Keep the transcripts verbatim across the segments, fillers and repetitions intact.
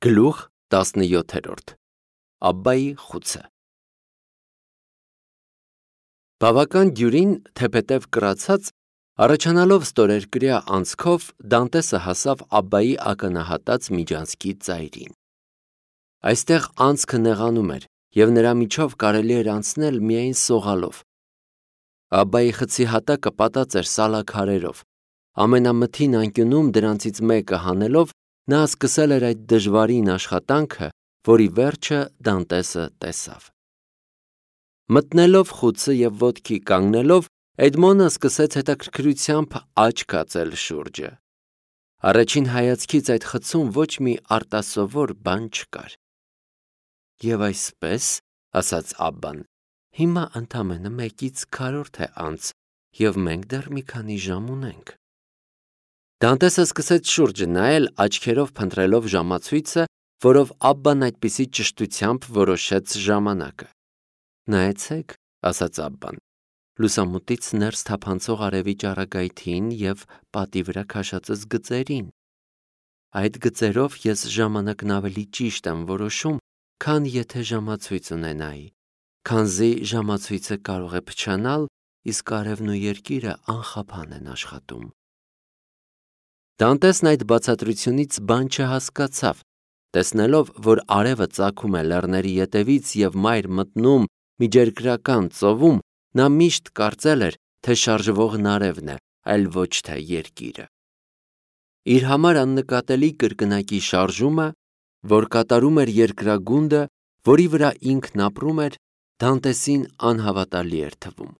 Գլուխ տասնյոթերորդ Աբբայի խուցը Բավական դյուրին թեպետև կրացած, առաջանալով ստորերկրյա անցքով Դանտեսը հասավ Աբբայի ակնահատած միջանցքի ծայրին։ Այստեղ անցքը նեղանում էր, և նրա միջով կարելի էր անցնել միայն սողալով։ Աբբայի խցի հատակը պատած էր սալաքարերով։ Ամենամթին անկյունում դրանցից մեկը հանելով, նա սկսել էր այդ դժվարին աշխատանքը, որի վերջը Դանտեսը տեսավ։ Մտնելով խուցը և ոտքի կանգնելով, Էդմոնը սկսեց հետաքրքրությամբ աչք կացել շուրջը։ Առաջին հայացքից այդ խցում ոչ մի արտասովոր բան չկար։ Եվ այսպես, ասաց Աբբան, հիմա ընդամենը մեկից քառորդ է անց, և մենք դեռ մի քանի ժամ ունենք։ Դանտեսը սկսեց շուրջը նայել, աչքերով փնտրելով ժամացույցը, որով Աբբան այդպիսի ճշտությամբ որոշեց ժամանակը։ Նայեցեք, ասաց Աբբան, լուսամուտից ներս թափանցող արևի ճառագայթին և պատի վրա քաշածս գծերին։ Այդ գծերով ես ժամանակն ավելի ճիշտ եմ որոշում, քան եթե ժամացույց ունենայի, քանզի ժամացույցը կարող է փչանալ, իսկ արևն ու երկիրը անխափան են աշխատում։ Դանտեսն այդ բացատրությունից բան չհասկացավ, տեսնելով, որ արևը ծագում է լեռների ետևից և մայր մտնում միջերկրական ծովում, նա միշտ կարծել էր, թե շարժվողն արևն է, այլ ոչ թե երկիրը։ Իր համար աննկատելի կրկնակի շարժումը, որ կատարում էր երկրագունդը, որի վրա ինքն ապրում էր, Դանտեսին անհավատալի էր թվում։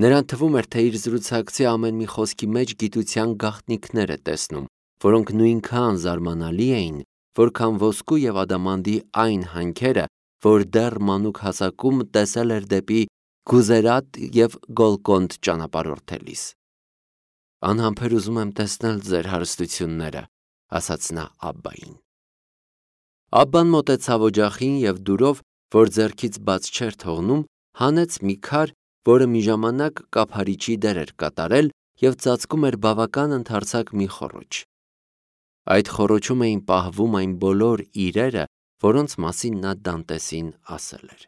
Նրան թվում էր, թե իր զրուցակցի ամեն մի խոսքի մեջ գիտության գաղտնիքներ է տեսնում, որոնք նույնքան զարմանալի էին, որքան ոսկու և ադամանդի այն հանքերը, որ դեռ մանուկ հասակում տեսել էր դեպի Գուզերատ և Գոլկոնդ ճանապարհորդելիս։ Անհամբեր ուզում եմ տեսնել ձեր հարստությունները, ասաց նա Աբբային։ Աբբան մոտեցավ օջախին և դուրով, որ ձեռքից բաց չէր թողնում, հանեց մի քար, որը մի ժամանակ կափարիչի դեր էր կատարել և ծածկում էր բավական ընդարձակ մի խոռոչ։ Այդ խոռոչում էին պահվում այն բոլոր իրերը, որոնց մասին նա Դանտեսին ասել էր։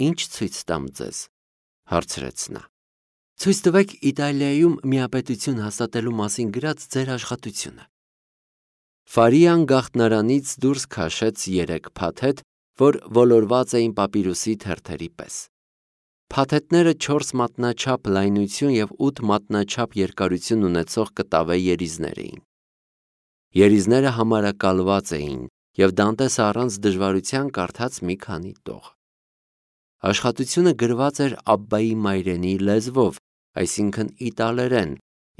Ինչ ցույց տամ ձեզ, հարցրեց նա։ Ցույց տվեք Իտալիայում միապետություն հաստատելու մասին գրած ձեր աշխատությունը։ Ֆարիան գաղտնարանից դուրս քաշեց երեք փաթեթ, որ ոլորված էին պապիրուսի թերթերի պես։ Փաթեթները չորս մատնաչափ լայնություն և ութ մատնաչափ երկարություն ունեցող կտավե երիզներ էին։ Երիզները համարակալված էին, և Դանտեսը առանց դժվարության կարդաց մի քանի տող։ Աշխատությունը գրված էր Աբբայի մայրենի լեզվով, այսինքն իտալերեն,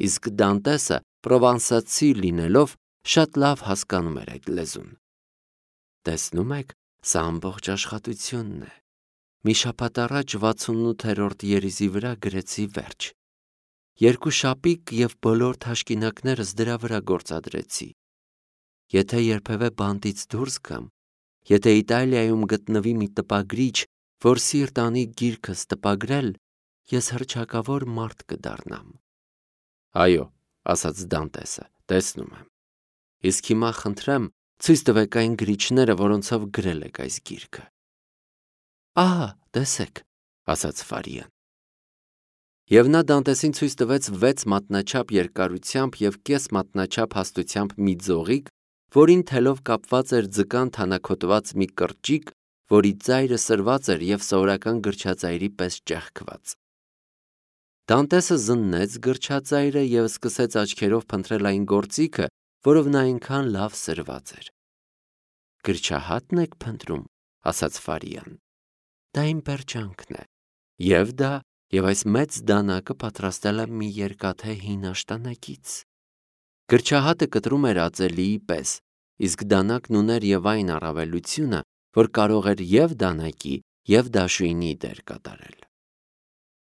իսկ Դանտեսը պրովանսացի լինելով, շատ լավ հասկանում էր այդ լեզուն։ Տեսնում եք, սա ամբողջ աշխատությունն է։ Մի շաբաթ առաջ վաթսունութերորդ երիզի վրա գրեցի վերջ։ Երկու շապիկ և բոլոր թաշկինակներս դրա վրա գործադրեցի։ Եթե երբևէ բանտից դուրս գամ, եթե Իտալիայում գտնվի մի տպագրիչ, որ սիրտ անի գիրքս տպագրել, ես հռչակավոր մարդ կդառնամ։ Այո, ասաց Դանտեսը, տեսնում եմ։ Իսկ հիմա խնդրեմ, ցույց տվեք այն գրիչները, որոնցով գրել եք այս գիրքը։ Ահա, տեսեք, ասաց Ֆարիան։ Եվ նա Դանտեսին ցույց տվեց վեց մատնաչափ երկարությամբ և կես մատնաչափ հաստությամբ մի ձողիկ, որին թելով կապված էր ձկան թանաքոտված մի կրճիկ, որի ծայրը սրված էր և սովորական գրչածայրի պես ճեղքված։ Դանտեսը զննեց գրչածայրը և սկսեց աչքերով փնտրել այն գործիքը, որով նա այնքան լավ սրված էր։ Գրչահա՞տն եք փնտրում, ասաց Ֆարիան։ Դա իմ պերճանքն է, և դա, և այս մեծ դանակը պատրաստել եմ մի երկաթե հին աշտանակից։ Գրչահատը կտրում էր ածելիի պես, իսկ դանակն ուներ և այն առավելությունը, որ կարող էր և դանակի, և դաշույնի դեր կատարել։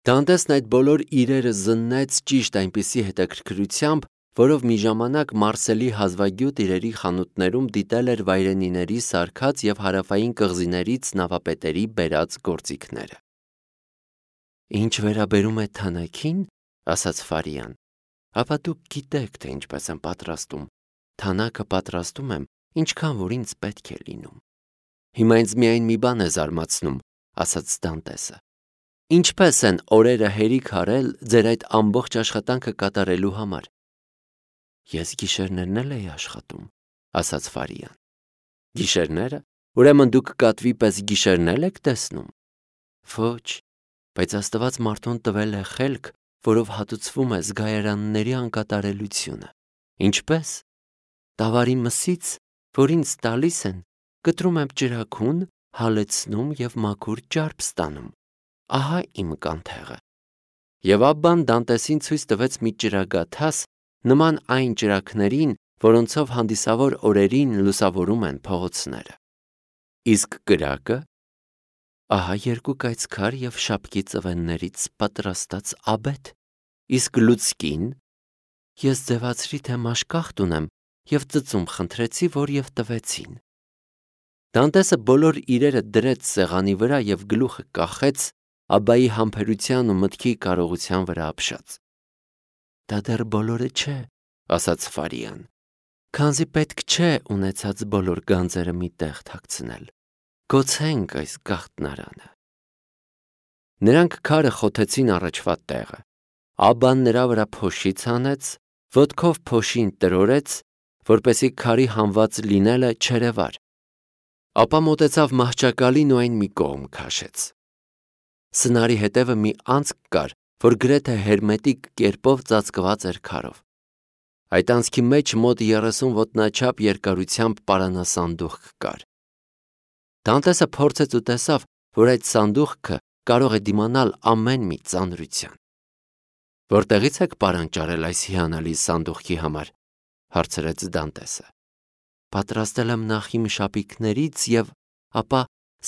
Դանտեսն այդ բոլոր իրերը զննեց ճիշտ այնպիսի հետաքրքրությամբ, որով մի ժամանակ Մարսելի հազվագյուտ իրերի խանութներում դիտել էր վայրենիների սարքած և հարավային կղզիներից նավապետերի բերած գործիքները։ Ինչ վերաբերում է թանաքին, ասաց Ֆարիան, ապա դուք գիտեք, թե ինչպես եմ պատրաստում։ Թանաքը պատրաստում եմ ինչքան որ ինձ պետք է լինում։ Հիմա ինձ միայն մի բան է զարմացնում, ասաց Դանտեսը. ինչպես են օրերը հերիք արել ձեր այդ ամբողջ աշխատանքը կատարելու համար։ Ես գիշերներն էլ էի աշխատում, ասաց Ֆարիան։ Գիշերները, ուրեմն դուք կատվի պես գիշերն եք տեսնում։ Ոչ, բայց Աստված մարդուն տվել է խելք, որով հատուցվում է զգայարանների անկատարելությունը։ Ինչպես։ Տավարի մսից, որ ինձ տալիս են, կտրում եմ ճրագուն, հալեցնում և մաքուր ճարպ ստանում։ Ահա իմ կանթեղը։ Եվ Աբբան Դանտեսին ցույց տվեց մի ճրագաթաս, նման այն ճրագներին, որոնցով հանդիսավոր օրերին լուսավորում են փողոցները։ Իսկ կրակը։ Ահա երկու կայծքար և շապկի ծվեններից պատրաստած աբեթ։ Իսկ լուցկին։ Ես ձևացրի, թե մաշկախտ ունեմ և ծծում խնդրեցի, որ և տվեցին։ Դանտեսը բոլոր իրերը դրեց սեղանի վրա և գլուխը կախեց, Աբբայի համբերության ու մտքի կարողության վրա ապշած։ Դա դեռ բոլորը չէ, ասաց Ֆարիան, քանզի պետք չէ ունեցած բոլոր գանձերը մի տեղ թաքցնել։ Գոցենք այս գաղտնարանը։ Նրանք քարը խոթեցին առաջվա տեղը։ Աբբան նրա վրա փոշի ցանեց, ոտքով փոշին տրորեց, որպեսզի քարի հանված լինելը չերևար։ Ապա մոտեցավ մահճակալին ու այն մի կողմ քաշեց։ Սնարի հետևը մի անցք կար, որ գրեթե հերմետիկ կերպով ծածկված էր քարով։ Այդ անցքի մեջ մոտ երեսուն ոտնաչափ երկարությամբ պարանասանդուղք կար։ Դանտեսը փորձեց ու տեսավ, որ այդ սանդուղքը կարող է դիմանալ ամեն մի ծանրության։ Որտեղի՞ց եք պարան ճարել այս հիանալի սանդուղքի համար, հարցրեց Դանտեսը։ Պատրաստել եմ նախ իմ շապիկներից և ապա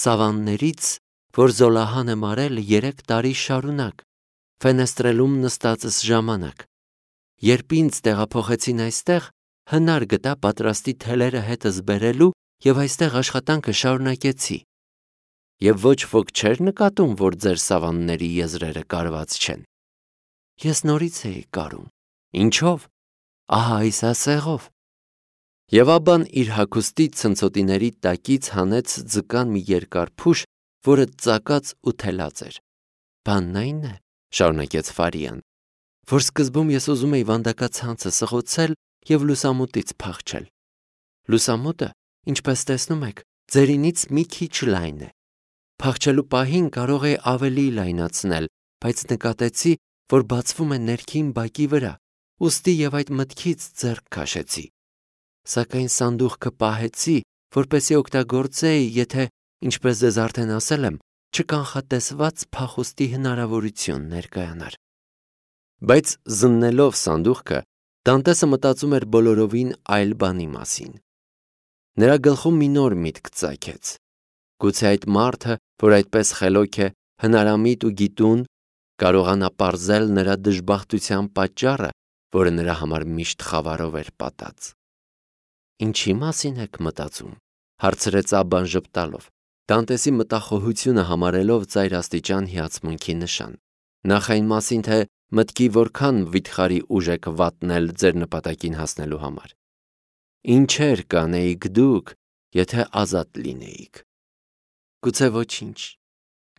սավաններից, որ Զոլահան եմ արել երեք տարի շարունակ, ֆենեստրելում նստածս ժամանակ։ Երբ ինձ տեղափոխեցին այստեղ, հնար գտա պատրաստի թելերը հետս բերելու և այստեղ աշխատանքը շարունակեցի։ Եվ ոչ ոք չէր նկատում, որ ձեր սավանների եզրերը կարված չեն։ Ես նորից էի կարում։ Ինչով։ Ահա այս ասեղով։ Եվ Աբբան իր հագուստի ցնցոտիների տակից հանեց ձկան մի երկար փուշ, որը ծակած ու թելած էր։ Բանն այն է, շարունակեց Ֆարիան, որ սկզբում ես ուզում էի վանդակացանցը սղոցել և լուսամուտից փախչել։ Լուսամուտը, ինչպես տեսնում եք, ձերինից մի քիչ լայն է։ Փախչելու պահին կարող էի ավելի լայնացնել, բայց նկատեցի, որ բացվում է ներքին բակի վրա, ուստի և այդ մտքից ձեռք քաշեցի։ Սակայն սանդուղքը պահեցի, որպեսզի օգտագործեի, եթե, ինչպես ձեզ արդեն ասել եմ, չկանխատեսված փախուստի հնարավորություն ներկայանար։ Բայց զննելով սանդուղքը, Դանտեսը մտածում էր բոլորովին այլ բանի մասին։ Նրա գլխում մի նոր միտք ծագեց։ Գուցե այդ մարդը, որ այդպես խելոք է, հնարամիտ ու գիտուն, կարողանա պարզել նրա դժբախտության պատճառը, որը նրա համար միշտ խավարով էր պատած։ Ինչի մասին եք մտածում, հարցրեց Աբբան ժպտալով, Դանտեսի մտախոհությունը համարելով ծայրաստիճան հիացմունքի նշան։ Նախ այն մասին, թե մտքի որքան վիթխարի ուժ եք վատնել ձեր նպատակին հասնելու համար։ Ինչեր կանեիք դուք, եթե ազատ լինեիք։ Գուցե ոչինչ։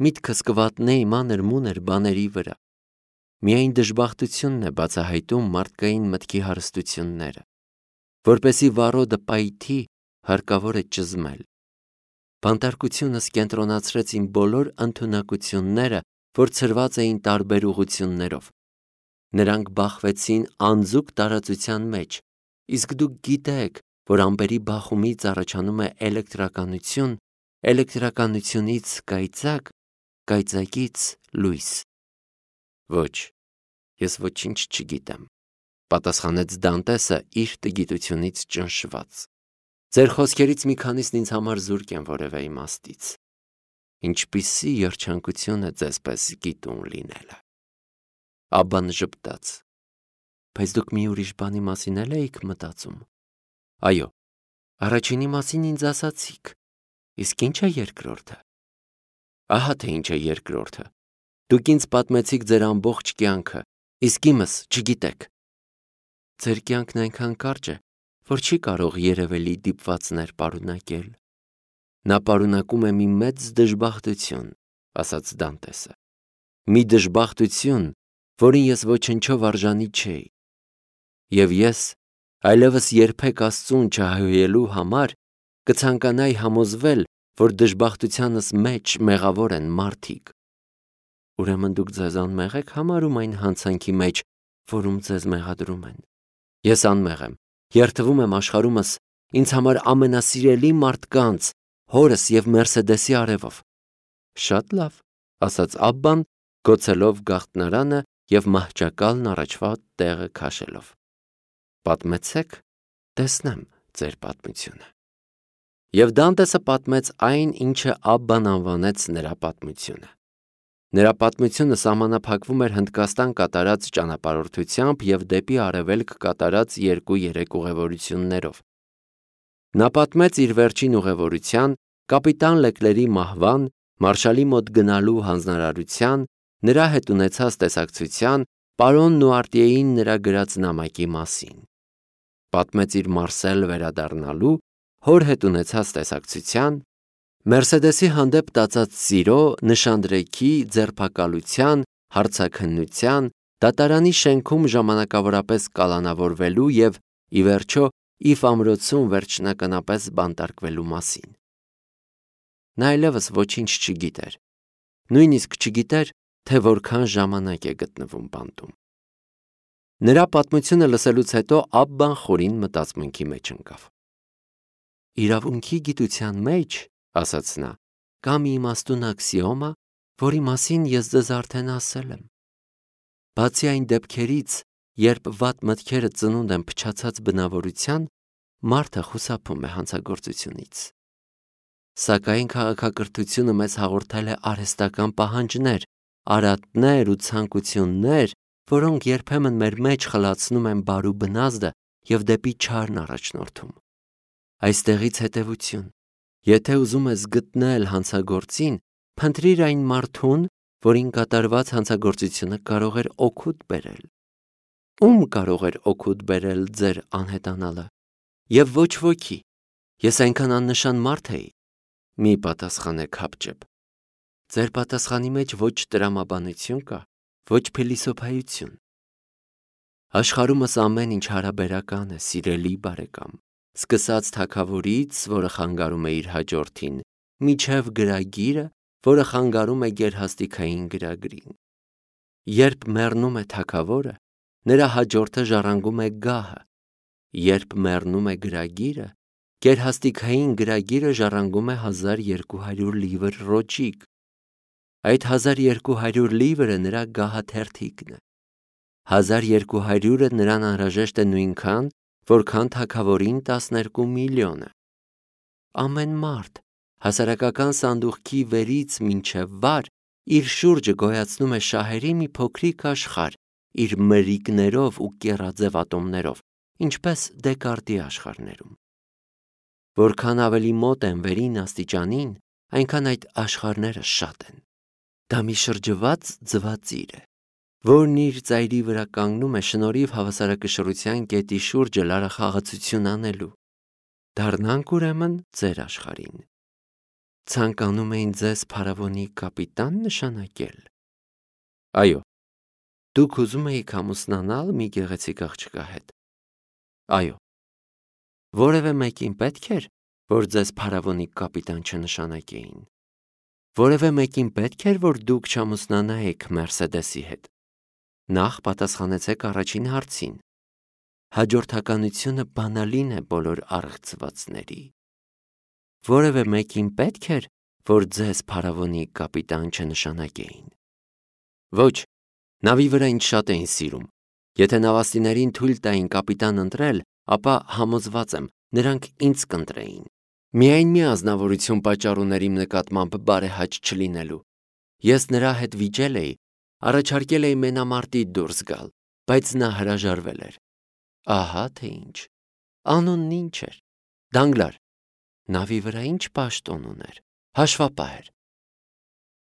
Միտքս կվատնեի մանր-մունր բաների վրա։ Միայն դժբախտությունն է բացահայտում մարդկային մտքի հարստությունները։ Որպեսզի վառոդը պայթի, հարկավոր է ճզմել։ Բանտարկությունս կենտրոնացրեց իմ բոլոր ընդունակությունները, որ ցրված էին տարբեր ուղղություններով։ Նրանք բախվեցին անձուկ տարածության մեջ, իսկ դուք գիտեք, որ ամպերի բախումից առաջանում է էլեկտրականություն, էլեկտրականությունից կայծակ, կայծակից լույս։ Ոչ, ես ոչինչ չգիտեմ, պատասխանեց Դանտեսը իր տգիտությունից ճնշված։ Ձեր խոսքերից մի քանիսն ինձ համար զուրկ են որևէ իմաստից։ Ինչպիսի երջանկություն է ձեզպես գիտուն լինելը։ Աբբան ժպտաց։ Բայց դուք մի ուրիշ բանի մասին էլ էիք մտածում։ Այո, առաջինի մասին ինձ ասացիք, իսկ ի՞նչ է երկրորդը։ Ահա թե ինչ է երկրորդը։ Դուք ինձ պատմեցիք ձեր ամբողջ կյանքը, իսկ իմս չգիտեք։ Ձեր կյանքն այնքան կարճ է, որ չի կարող երևելի դիպվածներ պարունակել։ Նա պարունակում է մի մեծ դժբախտություն, ասաց Դանտեսը, մի դժբախտություն, որին ես ոչնչով արժանի չէի։ Եվ ես, այլևս երբեք Աստծուն չհայհոյելու համար, կցանկանայի համոզվել, որ դժբախտությանս մեջ մեղավոր են մարդիկ։ Ուրեմն դուք ձեզ անմեղ եք համարում այն հանցանքի մեջ, որում ձեզ մեղադրում են։ Ես անմեղ եմ, երդվում եմ աշխարհումս ինձ համար ամենասիրելի մարդկանց, հորս և Մերսեդեսի արևով։ Շատ լավ, ասաց Աբբան, գոցելով գաղտնարանը և մահճակալն առաջվա տեղը քաշելով։ Պատմեցեք, տեսնեմ ձեր պատմությունը։ Եվ Դանտեսը պատմեց այն, ինչը Աբբան անվանեց նրա պատմությունը։ Նրա պատմությունը սահմանափակվում էր Հնդկաստան կատարած ճանապարհորդությամբ և դեպի արևելք կատարած երկու-երեք ուղևորություններով։ Նա պատմեց իր վերջին ուղևորության, կապիտան Լեկլերի մահվան, մարշալի մոտ գնալու հանձնարարության, նրա հետ ունեցած տեսակցության, պարոն Նուարտիեին նրա գրած նամակի մասին։ Պատմեց իր Մարսել վերադառնալու, հոր հետ ունեցած տեսակցության, Մերսեդեսի հանդեպ տածած սիրո, նշանդրեքի, ձերբակալության, հարցաքննության, դատարանի շենքում ժամանակավորապես կալանավորվելու և, ի վերջո, Իֆ ամրոցում վերջնականապես բանտարկվելու մասին։ Նա այլևս ոչինչ չգիտեր, նույնիսկ չգիտեր, թե որքան ժամանակ է գտնվում բանտում։ Նրա պատմությունը լսելուց հետո Աբբան խորին մտածմունքի մեջ ընկավ։ Իրավունքի գիտության մեջ, ասաց նա, կա մի իմաստուն աքսիոմա, որի մասին ես ձեզ արդեն ասել եմ։ Բացի այն դեպքերից, երբ վատ մտքերը ծնունդ են փչացած բնավորության, մարդը խուսափում է հանցագործությունից։ Սակայն քաղաքակրթությունը մեզ հաղորդել է արհեստական պահանջներ, արատներ ու ցանկություններ, որոնք երբեմն մեր մեջ խլացնում են բարու բնազդը և դեպի չարն առաջնորդում։ Այստեղից հետևություն. եթե ուզում ես գտնել հանցագործին, փնտրիր այն մարդուն, որին կատարված հանցագործությունը կարող էր օգուտ բերել։ Ում կարող էր օգուտ բերել ձեր անհետանալը։ Եվ ոչ ոքի, ես այնքան աննշան մարդ էի։ Մի պատասխանեք հապճեպ։ Ձեր պատասխանի մեջ ոչ տրամաբանություն կա, ոչ փիլիսոփայություն։ Աշխարհումս ամեն ինչ հարաբերական է, սիրելի բարեկամ, սկսած թագավորից, որը խանգարում է իր հաջորդին, մինչև գրագիրը, որը խանգարում է գերհաստիքային գրագրին։ Երբ մեռնում է թագավորը, նրա հաջորդը ժառանգում է գահը։ Երբ մեռնում է գրագիրը, գերհաստիքային գրագիրը ժառանգում է հազար երկու հարյուր լիվր ռոճիկ։ Այդ հազար երկու հարյուր լիվրը նրա գահաթերթիկն է։ Հազար երկու հարյուրը նրան անհրաժեշտ է նույնքան, որքան թագավորին տասներկու միլիոնը։ Ամեն մարդ հասարակական սանդուղքի վերից մինչև վար իր շուրջը գոյացնում է շահերի մի փոքրիկ աշխարհ իր մրրիկներով ու կեռաձև ատոմներով, ինչպես Դեկարտի աշխարհներում։ Որքան ավելի մոտ են վերին աստիճանին, այնքան այդ աշխարհները շատ են։ Դա մի շրջված ձվածիր է, որն իր ծայրի վրա կանգնում է շնորհիվ հավասարակշռության կետի շուրջը լարախաղացություն անելու։ Դառնանք ուրեմն ձեր աշխարհին։ Ցանկանում էին ձեզ փարավոնի կապիտան նշանակել։ Այո, դուք ուզում էիք ամուսնանալ մի գեղեցիկ աղջկա հետ։ Այո, որևէ մեկին պետք էր, որ ձեզ փարավոնի կապիտան չնշանակեին։ Որևէ մեկին պետք էր, որ դուք չամուսնանայիք Մերսեդեսի հետ։ Նախ պատասխանեցեք առաջին հարցին։ Հաջորդականությունը բանալին է բոլոր առեղծվածների։ Որևէ մեկին պետք էր, որ ձեզ փարավոնի կապիտան չնշանակեին։ Ոչ, նավի վրա ինձ շատ էին սիրում։ Եթե նավաստիներին թույլ տային կապիտան ընտրել, ապա համոզված եմ, նրանք ինձ կընտրեին։ Միայն մի ազնվորություն պատճառ ուներ իմ նկատմամբ բարեհաճ չլինելու։ Ես նրա հետ վիճել էի, առաջարկել էի մենամարտի դուրս գալ, բայց նա հրաժարվել էր։ Ահա թե ինչ։ Անունն ինչ էր։ Դանգլար։ Նավի վրա ինչ պաշտոն ուներ։ Հաշվապահ էր։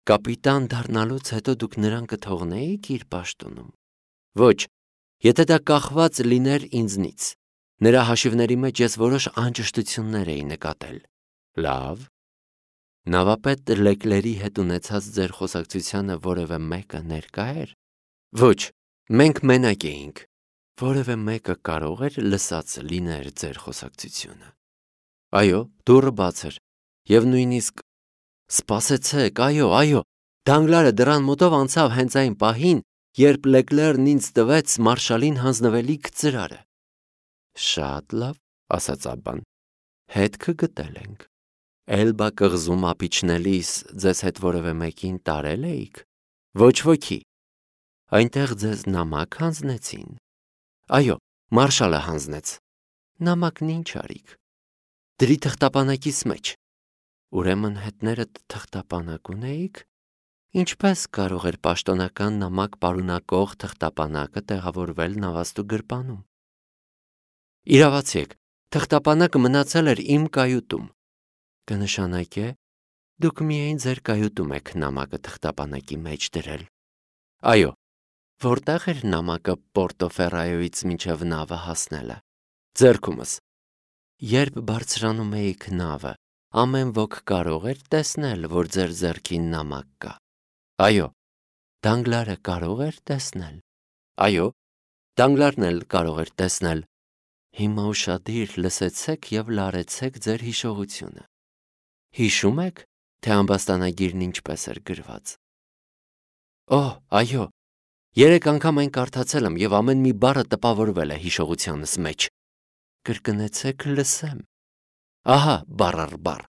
Կապիտան դառնալուց հետո դուք նրան կթողնեիք իր պաշտոնում։ Ոչ, եթե դա կախված լիներ ինձնից։ Նրա հաշիվների մեջ ես որոշ անճշտություններ էի նկատել։ Լավ։ Նավապետ Լեկլերի հետ ունեցած ձեր խոսակցությանը որևէ մեկը ներկա էր։ Ոչ, մենք մենակ էինք։ Որևէ մեկը կարող էր լսած լիներ ձեր խոսակցությունը։ Այո, դուռը բաց էր, եւ նույնիսկ սպասեցեք, այո, այո, Դանգլարը դռան մոտով անցավ հենց այն պահին, երբ Լեկլերն ինձ տվեց մարշալին հանձնվելիք ծրարը։ Շատ լավ, ասաց Աբբան։ Հետքը գտել ենք։ Էլբա կղզում ապիչնելիս ձեզ հետ որևէ մեկին տարել էիք։ Ոչ ոքի։ Այնտեղ ձեզ նամակ հանձնեցին։ Այո, մարշալը հանձնեց։ Նամակն ինչ արիք։ Դրի թղթապանակիս մեջ։ Ուրեմն հետներդ թղթապանակ ունեիք։ Ինչպես կարող էր պաշտոնական նամակ պարունակող թղթապանակը տեղավորվել նավաստու գրպանում։ Իրավացի եք, թղթապանակը մնացել էր իմ կայուտում։ Կնշանակե, դուք միայն ձեր կայուտում եք նամակը թղթապանակի մեջ դրել։ Այո, որտեղ էր նամակը Պորտոֆերայոյից մինչև նավը հասնելը։ Ձեռքումս։ Երբ բարձրանում էիք նավը, ամեն ոք կարող էր տեսնել, որ ձեր ձեռքին նամակ կա։ Այո, Դանգլարը կարող էր տեսնել։ Այո, Դանգլարն էլ կարող էր տեսնել։ Հիմա ուշադիր լսեցեք եւ լարեցեք ձեր հիշողությունը։ Հիշում եք, թե ամբաստանագիրն ինչպես էր գրված։ Օ, այո, երեք անգամ այն կարդացել եմ եւ ամեն մի բառը տպավորվել է հիշողությանս մեջ։ Կրկնեցեք լսեմ։ Ահա, բառ առ բառ։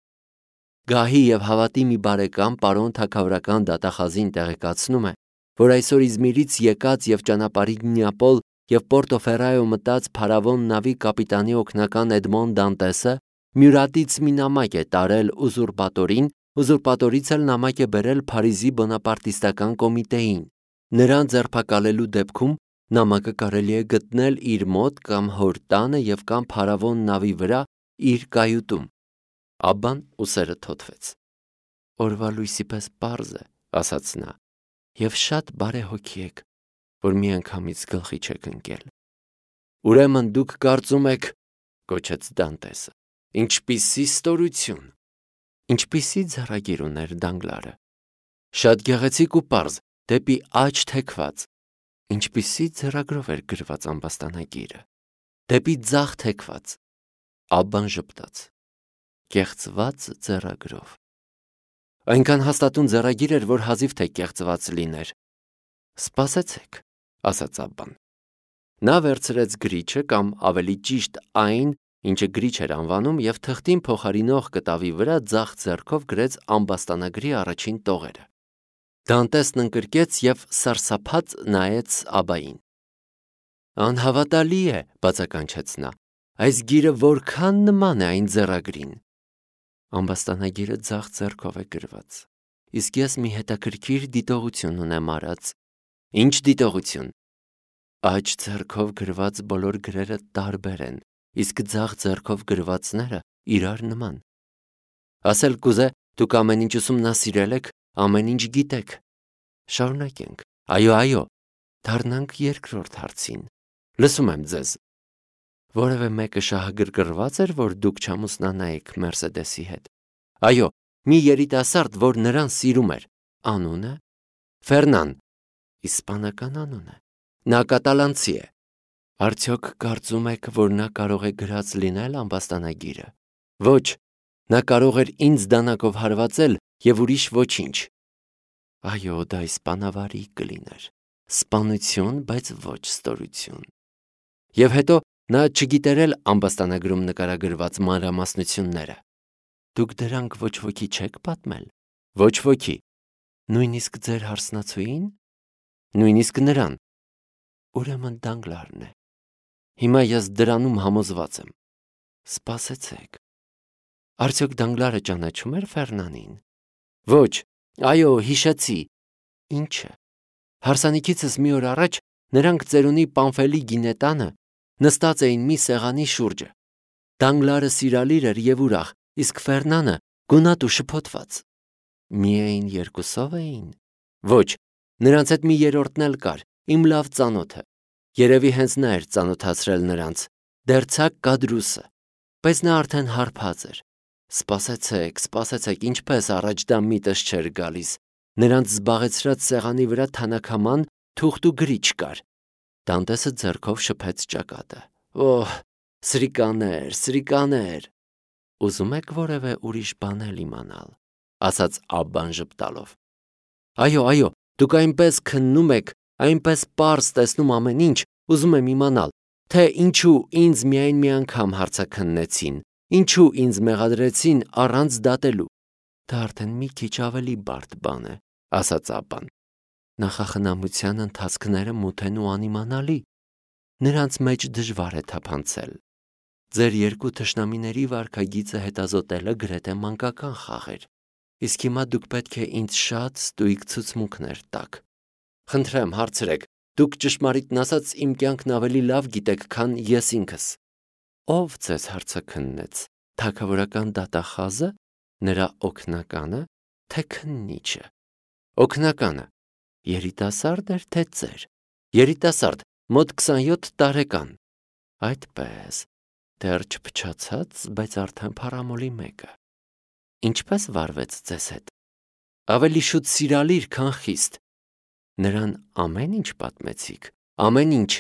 Գահի եւ հավատի մի բարեկամ պարոն թագավորական դատախազին տեղեկացնում է, որ այսօր Իզմիրից եկած եւ ճանապարհի Նեապոլ եւ Պորտոֆերայո մտած փարավոն նավի կապիտանի օգնական Էդմոն Դանտեսը Մյուրատից մի նամակ է տարել ուզուրպատորին, ուզուրպատորից էլ նամակ է բերել Փարիզի բոնապարտիստական կոմիտեին։ Նրան ձերբակալելու դեպքում նամակը կարելի է գտնել իր մոտ կամ հոր տանը եւ կամ փարավոն նավի վրա իր կայուտում։ Աբբան ուսերը թոթվեց։ Օրվա լույսի պես պարզ է, ասաց նա, եւ շատ բարեհոգի եք, որ մի անգամից գլխի չեք ընկել։ Ուրեմն դուք կարծում եք, կոչեց Դանտեսը, ինչպիսի ստորություն։ Ինչպիսի ձեռագիր ուներ Դանգլարը։ Շատ գեղեցիկ ու պարզ, դեպի աջ թեքված։ Ինչպիսի ձեռագրով էր գրված ամբաստանագիրը։ Դեպի ձախ թեքված։ Աբբան ժպտաց։ Կեղծված ձեռագրով։ Այնքան հաստատուն ձեռագիր էր, որ հազիվ թե կեղծված լիներ։ Սպասեցեք, ասաց Աբբան։ Նա վերցրեց գրիչը կամ ավելի ճիշտ այն, ինչը գրիչ էր անվանում, եւ թղթին փոխարինող կտավի վրա ձախ ձեռքով գրեց ամբաստանագրի առաջին տողերը։ Դանտեսն ընկրկեց եւ սարսափած նայեց Աբբային։ Անհավատալի է, բացականչեց նա։ Այս գիրը որքան նման է այն ձեռագրին։ Ամբաստանագիրը ձախ ձեռքով է գրված։ Իսկ ես մի հետաքրքիր դիտողություն ունեմ արած։ Ինչ դիտողություն։ Աջ ձեռքով գրված բոլոր գրերը տարբեր են, իսկ ձախ ձեռքով գրվածները իրար նման։ Ասել կուզե, դուք ամեն ինչ ուսումնասիրել եք, ամեն ինչ գիտեք։ Շարունակենք։ Այո, այո, դառնանք երկրորդ հարցին։ Լսում եմ ձեզ։ Որևէ մեկը շահագրգռված էր, որ դուք չամուսնանայիք Մերսեդեսի հետ։ Այո, մի երիտասարդ, որ նրան սիրում էր։ Անունը Ֆերնան։ Իսպանական անուն է։ Նա կատալանցի է։ Արդյոք կարծում եք, որ նա կարող է գրած լինել ամբաստանագիրը։ Ոչ, նա կարող էր ինձ դանակով հարվածել եւ ուրիշ ոչինչ։ Այո, դա իսպանավարի կլիներ։ Սպանություն, բայց ոչ ստորություն։ Եվ հետո նա չգիտերել ամբաստանագրում նկարագրված մանրամասնությունները։ Դուք դրանք ոչ ոքի չեք պատմել։ Ոչ ոքի։ Նույնիսկ ձեր հարսնացուին։ Նույնիսկ նրան։ Ուրեմն Դանգլարն է։ Հիմա ես դրանում համոզված եմ։ Սպասեցեք։ Արդյոք Դանգլարը ճանաչում էր Ֆերնանին։ Ոչ, այո, հիշեցի։ Ինչը։ Հարսանիքիցս մի օր առաջ նրանք ծերունի Պանֆելի գինետանը նստած էին մի սեղանի շուրջը։ Դանգլարը սիրալիր էր եւ ուրախ, իսկ Ֆերնանը գունատ ու շփոթված։ Միայն երկուսով էին։ Ոչ, նրանց հետ մի երրորդն էլ կար, իմ լավ ծանոթը։ Երևի հենց նա էր ծանոթացրել նրանց, դերցակ կադրուսը, բայց նա արդեն հարբած էր։ Սպասեցեք, սպասեցեք, ինչպես առաջ դա միտս չէր գալիս։ Նրանց զբաղեցրած սեղանի վրա թանաքաման թուղթ ու գրիչ կար։ Դանտեսը ձեռքով շփեց ճակատը։ Օհ, սրիկաներ, սրիկաներ։ Ուզում եք որևէ ուրիշ բան էլ իմանալ, ասաց Աբբան ժպտալով։ Այո, այո, դուք այնպես քննում եք, այնպես պարզ տեսնում ամեն ինչ, ուզում եմ իմանալ, թե ինչու ինձ միայն մի անգամ հարցաքննեցին, ինչու ինձ մեղադրեցին առանց դատելու։ Դա արդեն մի քիչ ավելի բարդ բան է, ասաց Աբբան։ Նախախնամության ընթացքները մութ են ու անիմանալի։ Նրանց մեջ դժվար է թափանցել։ Ձեր երկու թշնամիների վարքագիծը հետազոտելը գրեթե մանկական խաղ էր։ Իսկ հիմա դուք պետք է ինձ շատ ստույգ ցուցմունքներ տաք։ Խնդրեմ, հարցրեք, դուք ճշմարիտն ասած իմ կյանքն ավելի լավ գիտեք, քան ես ինքս։ Ով ձեզ հարցաքննեց, թագավորական դատախազը, նրա օգնականը, թե քննիչը։ Օգնականը, երիտասարդ էր, թե ծեր։ Երիտասարդ, մոտ քսանյոթ տարեկան։ Այդպես, դեռ չփչացած, բայց արդեն փառամոլի մեկը։ Ինչպես վարվեց ձեզ հետ։ Ավելի շուտ սիրալիր, քան խիստ։ Նրան ամեն ինչ պատմեցիք, ամեն ինչ։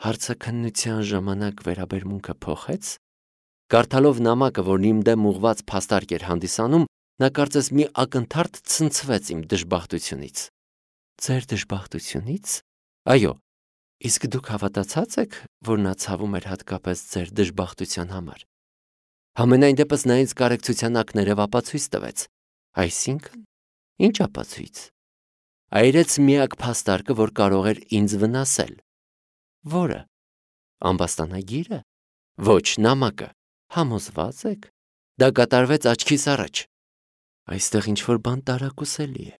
Հարցաքննության ժամանակ վերաբերմունքը փոխեց։ Կարդալով նամակը, որն իմ դեմ ուղված փաստարկ էր հանդիսանում, նա կարծես մի ակնթարթ ցնցվեց իմ դժբախտությունից։ Ձեր դժբախտությունից։ Այո, իսկ դուք հավատացած եք, որ նա ցավում էր հատկապես ձեր դժբախտության համար։ Համենայն դեպս նա ինձ կարեկցության ակներով ապացույց տվեց։ Այսինքն, ինչ ապացույց։ Այրեց միակ փաստարկը, որ կարող էր ինձ վնասել։ Որը։ Ամբաստանագիրը։ Ոչ, նամակը։ Համոզված եք։ Դա կատարվեց աչքիս առաջ։ Այստեղ ինչ-որ բան տարակուսելի է։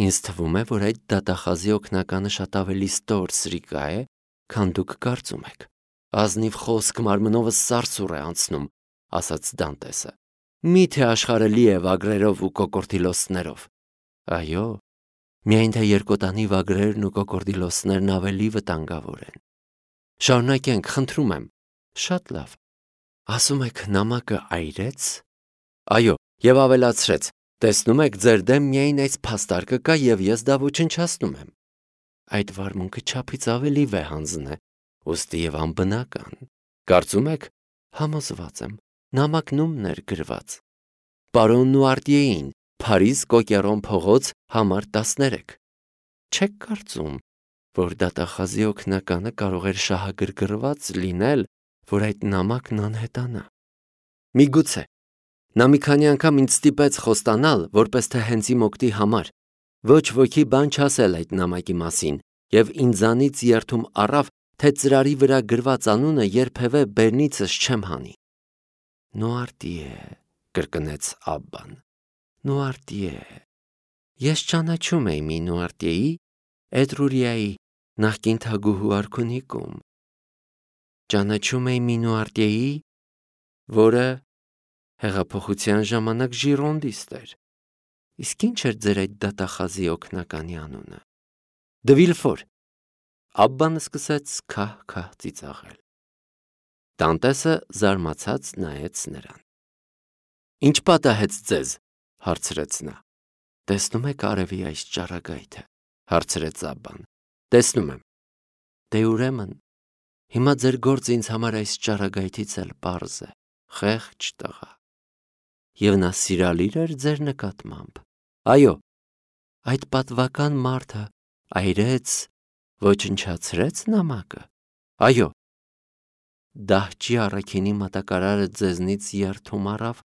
Ինձ թվում է, որ այդ դատախազի օգնականը շատ ավելի ստոր սրիկա է, քան դուք կարծում եք։ Ազնիվ խոսք մարմնովս սարսուռ է անցնում, ասաց Դանտեսը։ Միթե աշխարհը լի է վագրերով ու կոկորդիլոսներով։ Այո, միայն թե երկոտանի վագրերն ու կոկորդիլոսներն ավելի վտանգավոր են։ Շարունակենք, խնդրում եմ։ Շատ լավ։ Ասում եք նամակը այրեց։ Այո, եւ ավելացրեց. տեսնում եք, ձեր դեմ միայն այս փաստարկը կա եւ ես դա ոչնչացնում եմ։ Այդ վարմունքը չափից ավելի վեհանձն է, ուստի եւ անբնական։ Կարծում եք, համոզված եմ, նամակն ումն էր գրված։ Պարոն Նուարտիեին, Փարիզ Կոկերոն փողոց, համար տասներեք։ Չեք կարծում, որ դատախազի օգնականը կարող էր շահագրգռված լինել, որ այդ նամակն անհետանա։ Միգուցե։ Նա մի քանի անգամ ինձ ստիպեց խոստանալ, որպես թե հենց իմ օգտի համար։ Ոչ ոքի բան չասել այդ նամակի մասին, եւ ինձանից երթում առավ, թե ծրարի վրա գրված անունը երբևէ բերնիցս չեմ հանի։ Նուարտիե, կրկնեց Աբբան։ Նուարտիե։ Ես ճանաչում էի մի Նուարտիեի, Էտրուրիայի, նախկին թագուհու արքունիկում։ Ճանաչում էի մի Նուարտիեի, որը հեղափոխության ժամանակ ժիրոնդիստ էր։ Իսկ ինչ էր ձեր այդ դատախազի օգնականի անունը։ Դվիլֆոր։ Աբբանը սկսեց քահ-քահ ծիծաղել։ Դանտեսը զարմացած նայեց նրան։ Ինչ պատահեց ձեզ, հարցրեց նա։ Տեսնում եք արևի այս ճառագայթը, հարցրեց Աբբան։ Տեսնում եմ։ Դե ուրեմն, հիմա ձեր գործը ինձ համար այս ճառագայթից էլ պարզ է, խեղճ տղա։ Եվ նա սիրալիր էր ձեր նկատմամբ։ Այո, այդ պատվական մարդը այրեց, ոչնչացրեց նամակը։ Այո։ Դահճի առաքինի մատակարարը ձեզնից երթում առավ,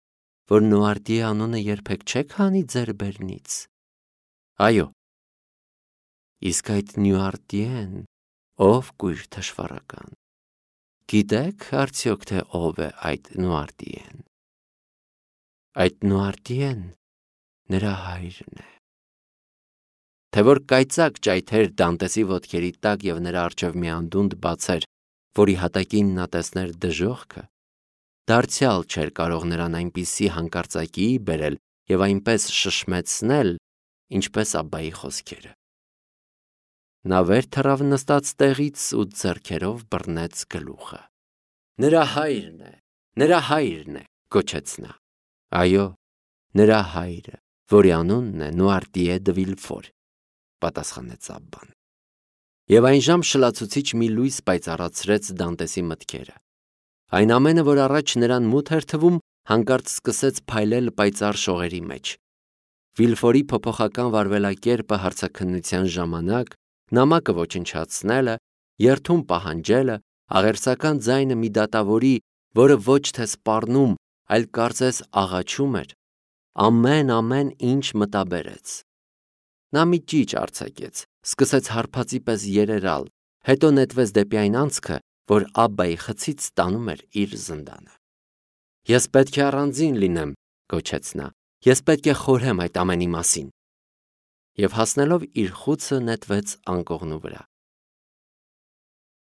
որ Նուարտիե անունը երբեք չեք հանի ձեր բերնից։ Այո։ Իսկ այդ Նուարտիեն ով կույր թշվառական։ Գիտեք արդյոք թե ով է այդ Նուարտիեն։ Այդ Նուարտիեն նրա հայրն է։ Թե որ կայծակ ճայթեր Դանտեսի ոտքերի տակ եւ նրա առջև մի անդունդ բացեր, որի հատակին նա տեսներ դժոխքը, դարձյալ չէր կարող նրան այնպիսի հանկարծակիի բերել եւ այնպես շշմեցնել, ինչպես Աբբայի խոսքերը։ Նա վեր թռավ նստած տեղից ու ձեռքերով բռնեց գլուխը։ Նրա հայրն է, նրա հայրն է, գոչեց նա։ Այո, նրա հայրը, որի անունն է Նուարտիե դը Վիլֆոր, պատասխանեց Աբբան։ Եվ այն ժամ շլացուցիչ մի լույս պայծառացրեց Դանտեսի մտքերը։ Այն ամենը, որ առաջ նրան մութ էր թվում, հանկարծ սկսեց փայլել պայծառ շողերի մեջ։ Վիլֆորի փոփոխական վարվելակերպը հարցաքննության ժամանակ, նամակը ոչնչացնելը, երթում պահանջելը, աղերսական ձայնը մի դատավորի, որը ոչ թե սպառնում, այլ կարծես աղաչում էր, ամեն-ամեն ինչ մտաբերեց։ Նա մի ճիչ արձակեց, սկսեց հարբածի պես երերալ, հետո նետվեց դեպի այն անցքը, որ Աբբայի խցից տանում էր իր զնդանը։ Ես պետք է առանձին լինեմ, գոչեց նա, ես պետք է խորհեմ այդ ամենի մասին։ Եվ հասնելով իր խուցը նետվեց անկողնու վրա։